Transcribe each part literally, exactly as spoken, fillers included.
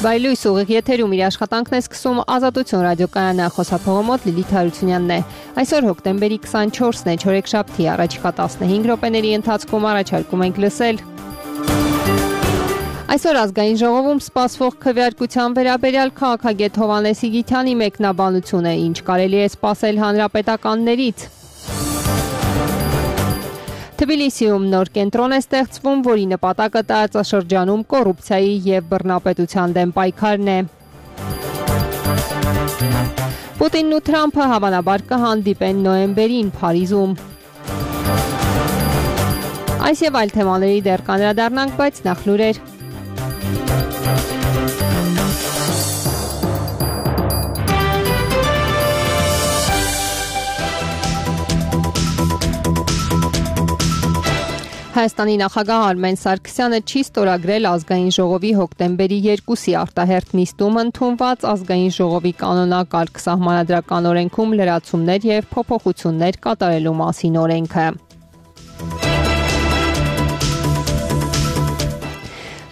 Վայլույս ուղիղ եթերում իր աշխատանքն է սկսում Ազատություն ռադիոկայանը, խոսափողը մոտ Լիլիթ Հարությունյանն է։ Այսօր հոկտեմբերի քսանչորսն է, չորեքշաբթի, առաջիկա տասնհինգ րոպեների ընթացքում առաջարկում ենք լսել. Այսօր ազգային ժողովում սպասվող քվեարկության վերաբերյալ քաղաքագետ Հովհաննես Իգիթյանի մեկնաբանությունը, ինչ կարելի է սպասել հանրապետականներից։ Թբիլիսիում նոր կենտրոն է ստեղծվում, որի նպատակը տարածաշրջանում կոռուպցիայի և բռնապետության դեմ պայքարն է։ Պուտինն ու Թրամփը հավանաբար կհանդիպեն նոյեմբերին Փարիզում։ Այս և այլ թեմաների դեռ կանդրադառնանք, բայց նախ լուրեր։ Հայաստանի նախագահ Արմեն Սարգսյանը չի ստորագրել ազգային ժողովի հոկտեմբերի երկուսի արտահերթ նիստում ընդունված ազգային ժողովի կանոնակարգ սահմանադրական օրենքում լրացումներ և փոփոխություններ կատարելու մասին օրենքը։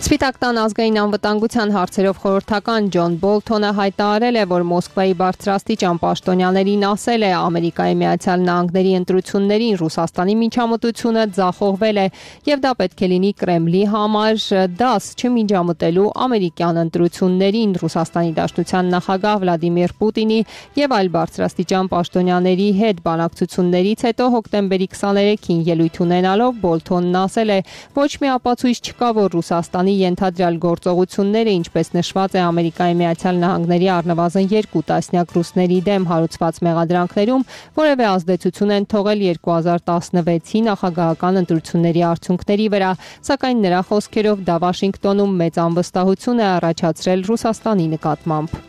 Սպիտակ տան ազգային անվտանգության հարցերով խորհրդական Ջոն Բոլթոնը հայտարարել է, որ Մոսկվայի բարձրաստիճան պաշտոնյաներին ասել է Ամերիկայի Միացյալ Նահանգների ընտրություններին Ռուսաստանի միջամտությունը ձախողվել է և դա պետք է լինի Կրեմլի համար դաս չմիջամտելու ամերիկյան ընտրություններին։ Ռուսաստանի Դաշնության նախագահ Վլադիմիր Պուտինի և այլ բարձրաստիճան պաշտոնյաների հետ բանակցություններից հետո հոկտեմբերի քսաներեքին ելույթ ունենալով Բոլթոնն ասել է. ոչ մի ապացույց չկա, որ Ռուսաստանի ենթադրյալ գործողությունները, ինչպես նշված է Ամերիկայի Միացյալ Նահանգների առնվազն երկու տասնյակ ռուսների դեմ հարուցված մեղադրանքներում, որևէ ազդեցություն են թողել երկու հազար տասնվեցի նախագահական ընտրությունների արդյունքների վրա, սակայն նրա խոսքերով դա Վաշինգտոնում մեծ անվստահություն է առաջացրել Ռուսաստանի նկատմամբ։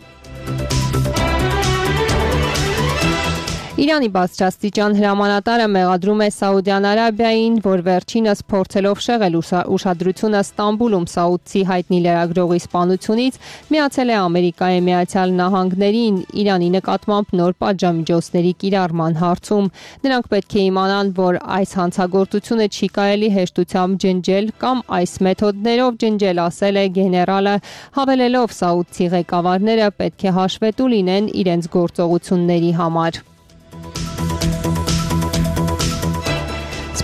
Իրանի բարձրաստիճան հրամանատարը մեղադրում է Սաուդյան Արաբիային, որ վերջինս փորձելով շեղել ուշադրությունը Ստամբուլում սաուդցի հայտնի լրագրողի սպանությունից, միացել է Ամերիկայի Միացյալ Նահանգներին Իրանի նկատմամբ նոր պատժամիջոցների կիրառման հարցում։ Նրանք պետք է իմանան, որ այս հանցագործությունը չի կարելի հեշտությամբ ջնջել կամ այս մեթոդներով ջնջել, ասել է գեներալը, հավելելով սաուդցի ղեկավարները պետք է հաշվետու լինեն իրենց գործողությունների համար։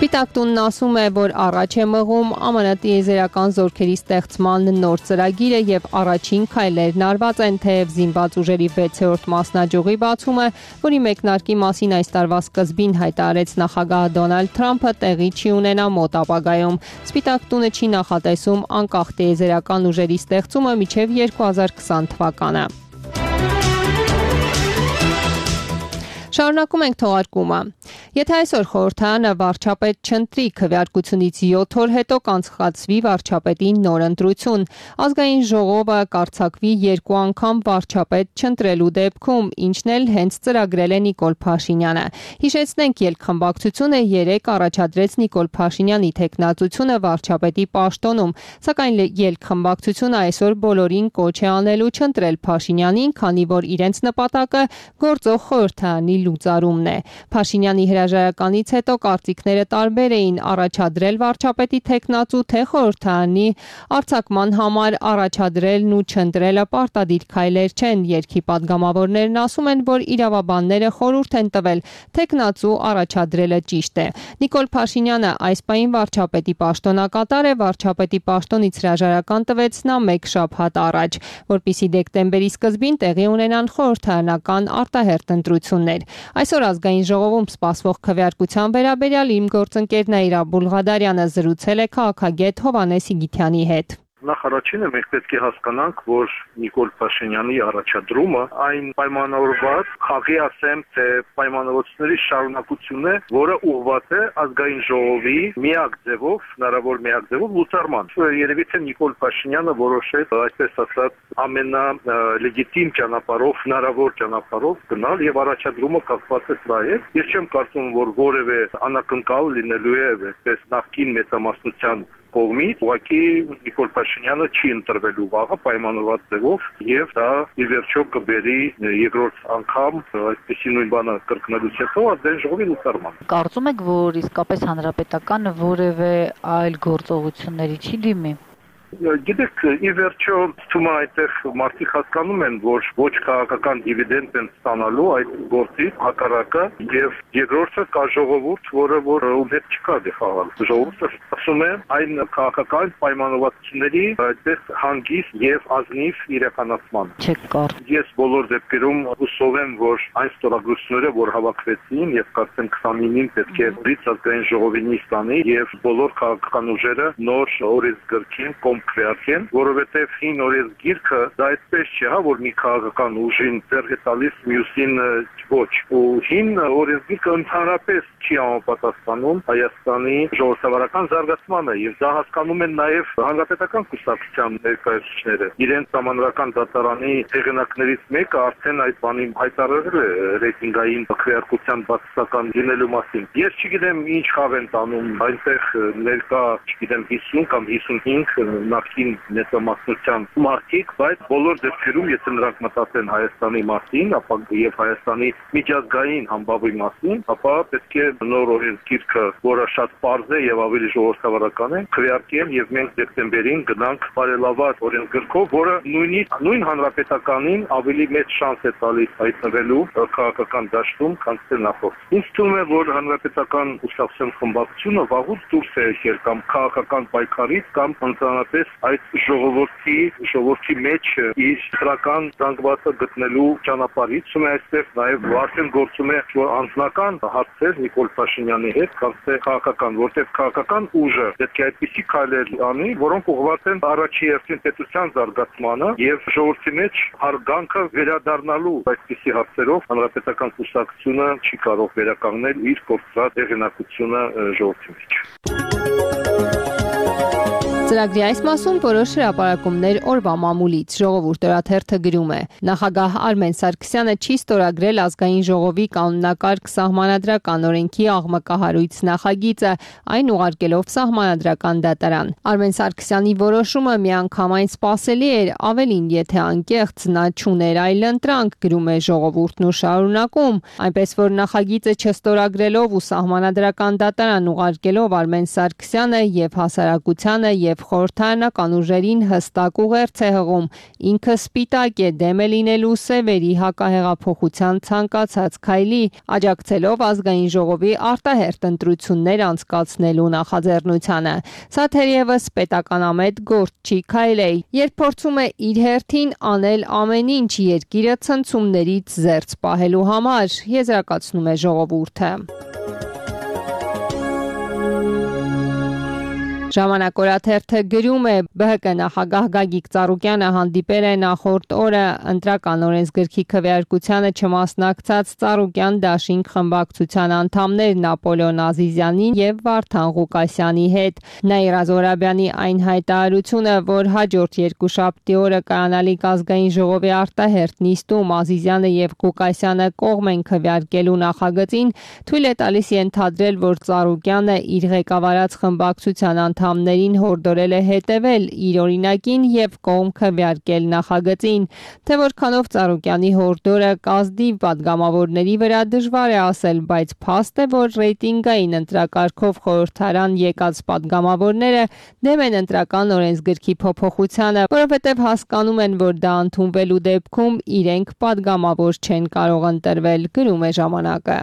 Սպիտակ տունն ասում է, որ առաջ է մղում ԱՄՆ տիեզերական զորքերի ստեղծման նոր ծրագիրը և առաջին քայլերն արված են, թեև զինված ուժերի վեցերորդ մասնաճյուղի բացումը, որի մեկնարկի մասին այս տարվա սկզբին հայտարարեց նախագահ Դոնալդ Թրամփը, տեղի չի ունենա մոտ ապագայում։ Սպիտակ տունը չի նախատեսում անկախ տիեզերական ուժերի ստեղծումը մինչև երկու հազար քսան թվականը։ Շարունակում ենք թողարկումը։ Եթե այսօր խորհրդարանը վարչապետ չընտրի, քվեարկությունից յոթ օր հետո կանցկացվի վարչապետի նոր ընտրություն։ Ազգային ժողովը կարձակվի երկու անգամ վարչապետ չընտրելու դեպքում, ինչն էլ հենց ծրագրել է Նիկոլ Փաշինյանը։ Հիշեցնենք, ելքխմբակցությունը երեկ առաջադրեց Նիկոլ Փաշինյանի թեկնածությունը վարչապետի պաշտոնում, սակայն ելքխմբակցությունը այսօր բոլորին կոչ է անելու չընտրել Փաշինյանին, քանի որ իրենց նպատակը գործող խորհրդարանի լուծարումն է։ Փաշինյանի հրաժարականից հետո կարծիքները տարբեր էին, առաջադրել վարչապետի թեկնածու թե խորհրդարանի արձակման համար առաջադրելն ու չընտրելը պարտադիր քայլեր չեն։ Երգի պատգամավորներն ասում են, որ իրավաբանները խորհուրդ են տվել թեկնածու առաջադրելը ճիշտ է։ Նիկոլ Փաշինյանը այս պահին վարչապետի պաշտոնակատար է, վարչապետի պաշտոնից հրաժարական տվեց նա մեկ շաբաթ առաջ, որպեսզի դեկտեմբերի սկզբին տեղի ունենան խորհրդարանական արտահերթ ընտրություններ։ Այսօր ազգային ժողովում սպասվող քվեարկության վերաբերյալ իմ գործընկեր Նաիրա Բուլղադարյանը զրուցել է քաղաքագետ Հովհաննես Իգիթյանի հետ։ Նախ առաջինը մենք պետք է հասկանանք, որ Նիկոլ Փաշինյանի առաջադրումը այն պայմանավորված խաղի ասեմ, թե պայմանավորվածների շարունակությունն է, որը ուղղված է ազգային ժողովի միակ ձևով, հնարավոր միակ ձևով լուծարման։ Երևի թե Նիկոլ Փաշինյանը որոշեց, այսպես ասած, ամենալեգիտիմ ճանապարհով, հնարավոր ճանապարհով գնալ եւ առաջադրումը կապված է սրա հետ։ Ես չեմ կարծում, որ որևէ անակնկալ լինելու է այսպես նախկին մեծամասնության կողմից, ուղղակի Նիկոլ Փաշինյանը չի ընտրվելու վաղը պայմանավորված ձևով եւ դա ի վերջո կբերի երկրորդ անգամ այսպեսի նույն բանը կրկնելուց հետո ազգային ժողովի լուծարման։ Կարծում եք, որ իսկապես հանրապետականը որևէ այլ գործողությունների չի դիմի։ Գիտեք, ի վերջո թվում է այդտեղ մարդիկ հասկանում են, որ ոչ քաղաքական դիվիդենդ են ստանալու այդ գործից, հակառակը, եւ երկրորդը կա ժողովուրդ, որը որ ում հետ չկա դե խաղալ։ Ժողովուրդը ասում է այն քաղաքական պայմանավորվածությունների այդտեղ հանգիստ եւ ազնիվ իրականացման։ Չկար։ Ես բոլոր դեպքերում հուսով եմ, որ այն ստորագրությունները, որ հավաքվեցին եւ կարծեմ քսանինին պետք է բրից ազգային ժողովի նիստանի եւ բոլոր քաղաքական ուժերը նոր օրենսգրքին կողմ քվեարկեն, որովհետեւ հին օրենսգիրքը դա այդպես չէ, հա, որ մի քաղաքական ուժին ձեռք է տալիս մյուսին ոչ։ Ու հին օրենսգիրքը ընդհանրապես չի համապատասխանում Հայաստանի ժողովրդավարական զարգացմանը եւ դա հասկանում են նաեւ հանրապետական կուսակցության ներկայացուցիչները։ Իրենց համանրական դատարանի հեղինակներից մեկը արդեն այդ բանին հայտարարել է ռեյտինգային քվեարկության բացասական լինելու մասին։ Ես չգիտեմ ինչ խաղ են տանում, այնտեղ ներկա, չգիտեմ հիսուն կամ հիսունհինգ նախկին մեծամասնության մարդիկ, բայց բոլոր դեպքերում եթե նրանք մտածեն Հայաստանի մասին, ապա եւ Հայաստանի միջազգային համբավի մասին, ապա պետք է նոր օրենսգիրքը, որը շատ պարզ է եւ ավելի ժողովրդավարական է, քվեարկեն եւ մենք դեկտեմբերին գնանք բարելավված օրենսգրքով, որը նույնիսկ նույն հանրապետականին ավելի մեծ շանս է տալիս հայտնվելու քաղաքական դաշտում, քան թե նախորդ։ Ինձ թվում է, որ հանրապետական կուսակցության խմբակցությունը վաղուց դուրս է եկել կամ քաղաքական պայքարից կամ ընդհանրապես այդ ժողովրդի ժողովրդի մեջ իր դրական զանգվածը գտնելու ճանապարհից։ Ում է այստեղ նաեւ արդեն գործում է անձնական հարցեր Նիկոլ Փաշինյանի հետ, կամ թե քաղաքական, որտեղ քաղաքական ուժը պետք է այդպիսի քայլեր անի, որոնք ուղղված են առաջի հերթին պետության զարգացմանը եւ ժողովրդի մեջ հարգանքը վերադառնալու այդպիսի հարցերով հանրապետական կուսակցությունը չի կարող վերականգնել իր կորցրած հեղինակությունը ժողովրդի մեջ։ Ծրագրի այս մասում որոշ հրապարակումներ օրվա մամուլից ժողովուրդ օրաթերթը գրում է. Նախագահ Արմեն Սարգսյանը չի ստորագրել ազգային ժողովի կանոնակարգ սահմանադրական օրենքի աղմկահարույց նախագիծը, այն ուղարկելով սահմանադրական դատարան։ Արմեն Սարգսյանի որոշումը միանգամայն սպասելի էր, ավելին, եթե անկեղծ նա չուներ այլ ընտրանք, գրում է ժողովուրդն ու շարունակում, այնպես որ նախագիծը չստորագրելով ու սահմանադրական դատարան ուղարկելով Արմեն Սարգսյանը եւ հասարակությանը եւ խորհրդարանական ուժերին հստակ ուղերձ է հղում, ինքը սպիտակ է դեմ է լինելու սևերի հակահեղափոխության ցանկացած քայլի, աջակցելով ազգային ժողովի արտահերթ ընտրություններ անցկացնելու նախաձեռնությանը։ Սա թերևս պետականամետ գործ չի քայլ է, երբ փորձում է իր հերթին անել ամեն ինչ երկիրը ցնցումներից զերծ պահելու համար, եզրակացնում է ժողովուրդը։ Ժամանակ օրաթերթը գրում է. Բը հը կը նախագահ Գագիկ Ծառուկյանը հանդիպել է նախորդ օրը ընտրական օրենսգրքի քվեարկությանը չմասնակցած Ծառուկյան Դաշինք խմբակցության անդամներ Նապոլեոն Ազիզյանին եւ Վարդան Ղուկասյանի հետ։ Նաիրա Զոհրաբյանի այն հայտարարությունը, որ հաջորդ երկուշաբթի օրը կայանալիք ազգային ժողովի արտահերթ նիստում Ազիզյանը եւ Ղուկասյանը կողմ են քվեարկելու նախագծին, թույլ է տալիս ենթադրել, որ Ծառուկյանը իր ղեկավարած խմբակցության անդամներին հորդորել է հետևել իր օրինակին եւ կողմ քվեարկել նախագծին, թե որքանով Ծառուկյանի հորդորը կազդիվ պատգամավորների վրա դժվար է ասել, բայց փաստ է, որ ռեյտինգային ընտրակարգով խորհրդարան եկած պատգամավորները դեմ են ընտրական օրենսգրքի փոփոխությանը, որովհետեւ հասկանում են, որ դա ընդունվելու դեպքում իրենք պատգամավոր չեն կարող ընտրվել, գրում է ժամանակը։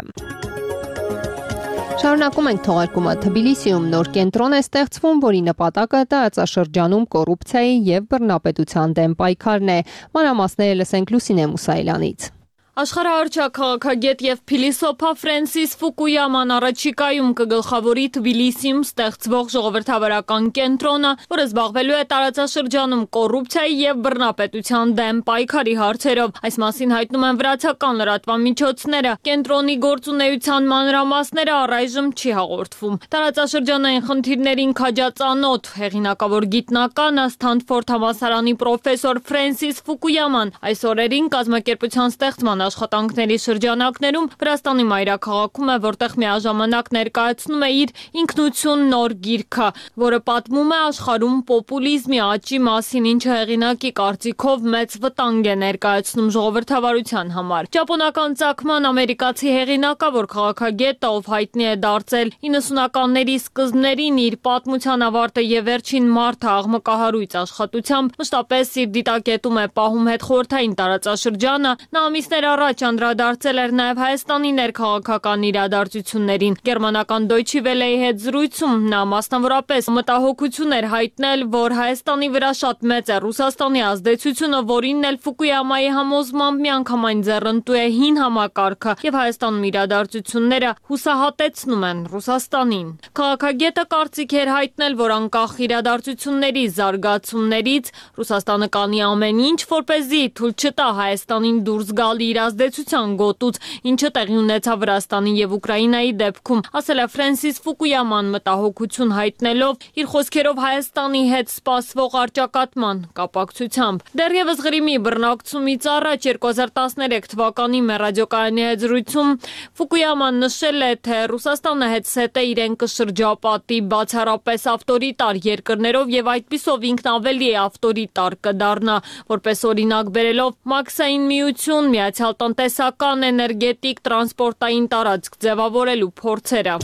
Շարունակում ենք թողարկումը։ Թբիլիսիում նոր կենտրոն է ստեղծվում, որի նպատակը տարածաշրջանում կոռուպցիայի եւ բռնապետության դեմ պայքարն է։ Մանրամասները լսենք Լուսինե Մուսայելյանից։ Աշխարհահռչակ քաղաքագետ եւ փիլիսոփա Ֆրանսիս Ֆուկույաման առաջիկայում կգլխավորի Թբիլիսիում ստեղծվող ժողովրդավարական կենտրոնը, որը զբաղվելու է տարածաշրջանում կոռուպցիայի եւ բռնապետության դեմ պայքարի հարցերով։ Այս մասին հայտնում են վրացական լրատվամիջոցները։ Կենտրոնի գործունեության մանրամասները առայժմ չի հաղորդվում։ Տարածաշրջանային խնդիրներին քաջածանոթ հեղինակավոր գիտնականը Սթանֆորդ համալսարանի պրոֆեսոր Ֆրանսիս Ֆուկույաման այս օրերին կազմակերպության ստեղծման աշխատանքների շրջանակներում Վրաստանի մայրաքաղաքում է, որտեղ միաժամանակ ներկայացնում է իր ինքնություն նոր գիրքը, որը պատմում է աշխարհում պոպուլիզմի աճի մասին, ինչը հեղինակի կարծիքով մեծ վտանգ է ներկայացնում ժողովրդավարության համար։ Ճապոնական ծագման ամերիկացի հեղինակավոր քաղաքագետը, ով հայտնի է դարձել իննսունականների սկզբներին իր պատմության ավարտը եւ վերջին մարդը աղմկահարույց աշխատությամբ, մշտապես իր դիտակետում է պահում հետխորհրդային տարածաշրջանը, նա ամիսներ առաջ անդրադարձել էր նաև Հայաստանի ներքաղաքական իրադարձություններին։ Գերմանական Deutsche Welle-ի հետ զրույցում նա մասնավորապես մտահոգություն էր հայտնել, որ Հայաստանի վրա շատ մեծ է Ռուսաստանի ազդեցությունը, որին էլ Ֆուկույամայի համոզմամբ միանգամայն ձեռնտու է հին համակարգը եւ Հայաստանում իրադարձությունները հուսահատեցնում են Ռուսաստանին։ Քաղաքագետը կարծիք էր հայտնել, որ անկախ իրադարձությունների զարգացումներից Ռուսաստանը կանի ամեն ինչ, որպեսզի թույլ չտա Հայաստանին դուրս գալ իր ազդեցության գոտուց, ինչը տեղի ունեցավ Վրաստանի եւ Ուկրաինայի դեպքում, ասել է Ֆրանսիս Ֆուկույաման մտահոգություն հայտնելով իր խոսքերով Հայաստանի հետ սպասվող առճակատման կապակցությամբ։ Դեռևս Ղրիմի բռնակցումից առաջ երկու հազար տասներեք թվականի մեր ռադիոկայանի հետ զրույցում Ֆուկույաման նշել է, թե Ռուսաստանը հետսետ է իրեն կշրջապատի բացառապես ավտորիտար երկրներով եւ այդպիսով ինքն ավելի ավտորիտար կդառնա, որպես օրինակ բերելով Մաքսային միություն, Միացյալ տնտեսական, էներգետիկ, տրանսպորտային տարածք ձևավորելու փորձերը։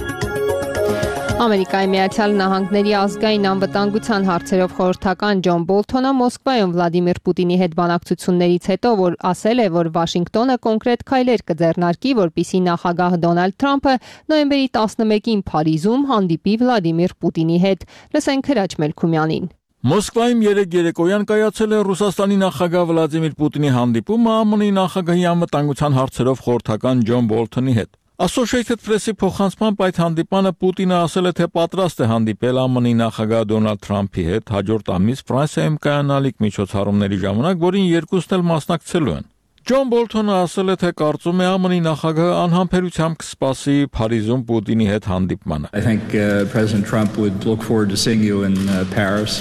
Ամերիկայի Միացյալ Նահանգների ազգային անվտանգության հարցերով խորհրդական Ջոն Բոլթոնը Մոսկվայում Վլադիմիր Պուտինի հետ բանակցություններից հետո որ ասել է, որ Վաշինգտոնը կոնկրետ քայլեր կձեռնարկի, որպեսզի նախագահ Դոնալդ Թրամփը նոյեմբերի տասնմեկին Փարիզում հանդիպի Վլադիմիր Պուտինի հետ։ Լսենք Հրաչ Մելքումյանին։ Մոսկվայում երեկ երեկոյան կայացել է Ռուսաստանի նախագահ Վլադիմիր Պուտինի հանդիպումը ԱՄՆ-ի նախագահի անվտանգության հարցերով խորհրդական Ջոն Բոլթոնի հետ։ Associated Press-ի փոխանցմամբ այդ հանդիպանը Պուտինը ասել է, թե պատրաստ է հանդիպել ԱՄՆ-ի նախագահ Դոնալդ Թրամփի հետ հաջորդ ամիս Ֆրանսիայում կայանալիք միջոցառումների ժամանակ, որին երկուսն էլ մասնակցելու են։ Ջոն Բոլթոնը ասել է, թե կարծում է ԱՄՆ-ի նախագահը անհամբերությամբ կսպասի Փարիզում Պուտինի հետ հանդիպմանը։ I think uh, President Trump would look forward to seeing you in uh, Paris.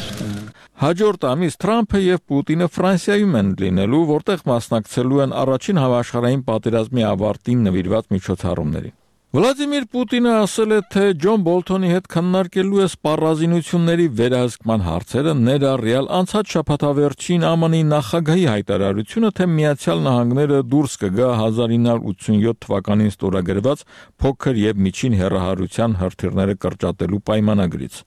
Հաջորդ ամիս Թրամփը եւ Պուտինը Ֆրանսիայում են լինելու, որտեղ մասնակցելու են առաջին համաշխարհային պատերազմի ավարտին նվիրված միջոցառումներին։ Վլադիմիր Պուտինը ասել է, թե Ջոն Բոլթոնի հետ քննարկելու է սպառազինությունների վերահսկման հարցերը, ներառյալ անցած շաբաթավերջին ԱՄՆ-ի նախագահի հայտարարությունը, թե Միացյալ Նահանգները դուրս կգա հազար ինը հարյուր ութսունյոթ թվականին ստորագրված փոքր եւ միջին հեռահարության հրթիռները կրճատելու պայմանագրից։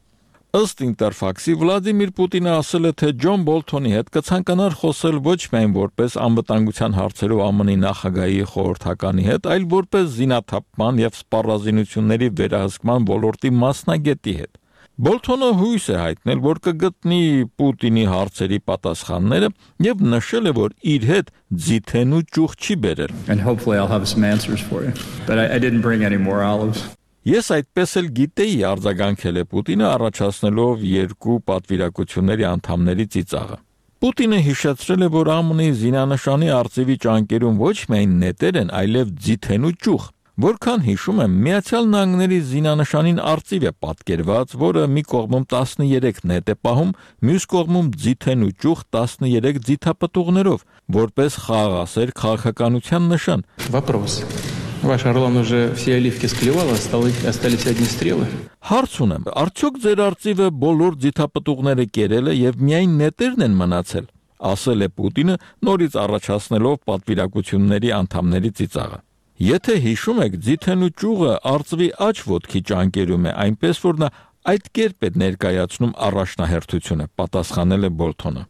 Ըստ Ինտերֆաքսի Վլադիմիր Պուտինը ասել է, թե Ջոն Բոլթոնի հետ կցանկանար խոսել ոչ միայն որպես անվտանգության հարցերով ԱՄՆ-ի նախագահի խորհրդականի հետ, այլ որպես զինաթափման եւ սպառազինությունների վերահսկման ոլորտի մասնագետի հետ։ Բոլթոնը հույս է հայտնել, որ կգտնի Պուտինի հարցերի պատասխանները եւ նշել է, որ իր հետ ձիթեն ու ճուղ չի բերել։ And hopefully I'll have some answers for you. But I, I didn't bring any more olives. Ես այդպես էլ գիտեի, արձագանքել է Պուտինը, առաջացնելով երկու պատվիրակությունների անդամների ծիծաղը։ Պուտինը հիշեցրել է, որ ԱՄՆ-ի զինանշանի արծիվի ճանկերում ոչ միայն նետեր են, այլև ձիթեն ու ճուղ։ Որքան հիշում եմ, Միացյալ Նահանգների զինանշանին արծիվ է պատկերված, որը մի կողմում տասներեք նետ է պահում, մյուս кողմում ձիթեն ու ճուղ տասներեք ձիթապտուղներով, որպես խաղաղասեր քաղաքականության նշան։ Вопрос. Ваш Орлан уже все оливки склевал, остались, остались одни стрелы. Հարց ունեմ, արդյոք ձեր արծիվը բոլոր ձիթապտուղները կերել է եւ միայն նետերն են մնացել, ասել է Պուտինը, նորից առաջացնելով պատվիրակությունների անդամների ծիծաղը։ Եթե հիշում եք, ձիթեն ու ճուղը արծվի աջ ոտքի ճանկերում է, այնպես որ նա այդ կերպ է ներկայացնում առաջնահերթությունը, պատասխանել է Բոլթոնը։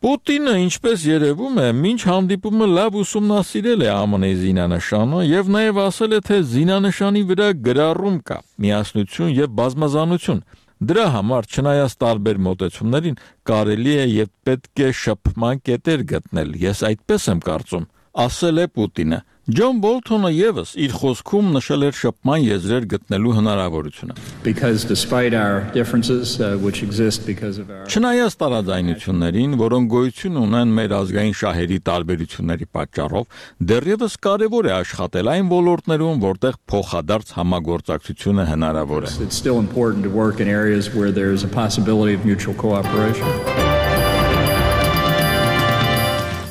Պուտինը, ինչպես երևում է, մինչ հանդիպումը լավ ուսումնասիրել է ԱՄՆ-ի զինանշանը եւ նաեւ ասել է, թե զինանշանի վրա գրառում կա՝ միասնություն եւ բազմազանություն։ Դրա համար, չնայած տարբեր մոտեցումներին, կարելի է եւ պետք է շփման կետեր գտնել։ Ես այդպես եմ կարծում, ասել է Պուտինը։ Ջոն Բոլթոնը եւս իր խոսքում նշել էր շփման եզրեր գտնելու հնարավորությունը։ Because despite our differences uh, which exist because of our Չնայած տարաձայնություններին, որոնք գոյություն ունեն մեր ազգային շահերի տարբերությունների պատճառով, դեռևս կարևոր է աշխատել այն ոլորտներում, որտեղ փոխադարձ համագործակցությունը հնարավոր է։ It's still important to work in areas where there is a possibility of mutual cooperation.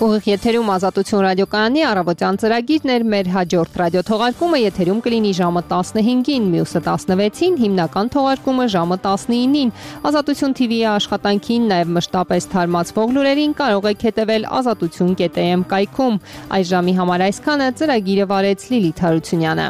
Ուղիղ եթերում Ազատություն ռադիոկայանի առավոտյան ծրագիրն էր, մեր հաջորդ ռադիոթողարկումը եթերում կլինի ժամը տասնհինգին, մյուսը տասնվեցին, հիմնական թողարկումը ժամը տասնինին։ Ազատություն թի վի-ի աշխատանքին, նաև մշտապես թարմացվող լուրերին կարող եք հետևել ազատություն կետ էմ կայքում։ Այս ժամի համար այսքանը, ծրագիրը վարեց Լիլիթ Հարությունյանը։